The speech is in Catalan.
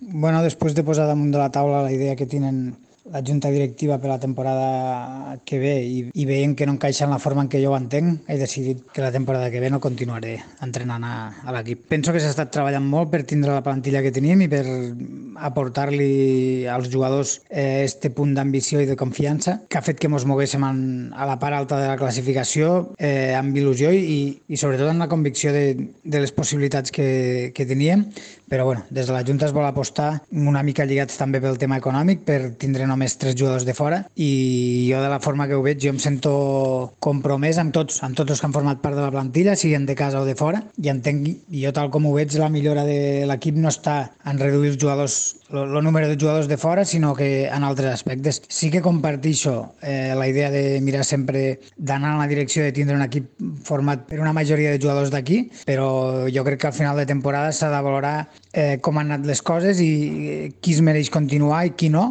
Bueno, després de posar damunt de la taula la idea que tenen la junta directiva per la temporada que ve i veient que no encaixa en la forma en què jo ho entenc, he decidit que la temporada que ve no continuaré entrenant a l'equip. Penso que s'ha estat treballant molt per tindre la plantilla que tenim i per aportar-li als jugadors este punt d'ambició i de confiança que ha fet que ens moguéssim a la part alta de la classificació amb il·lusió i sobretot amb la convicció de les possibilitats que teníem, però bueno, des de la Junta es vol apostar una mica lligats també pel tema econòmic per tindre només 3 jugadors de fora i jo de la forma que ho veig jo em sento compromès amb tots els que han format part de la plantilla, siguin de casa o de fora, i entenc, i jo tal com ho veig, la millora de l'equip no està en reduir els jugadors, el número de jugadors de fora, sinó que en altres aspectes. Sí que compartixo la idea de mirar sempre d'anar en la direcció de tindre un equip format per una majoria de jugadors d'aquí, però jo crec que al final de temporada s'ha de valorar com han anat les coses i qui es mereix continuar i qui no,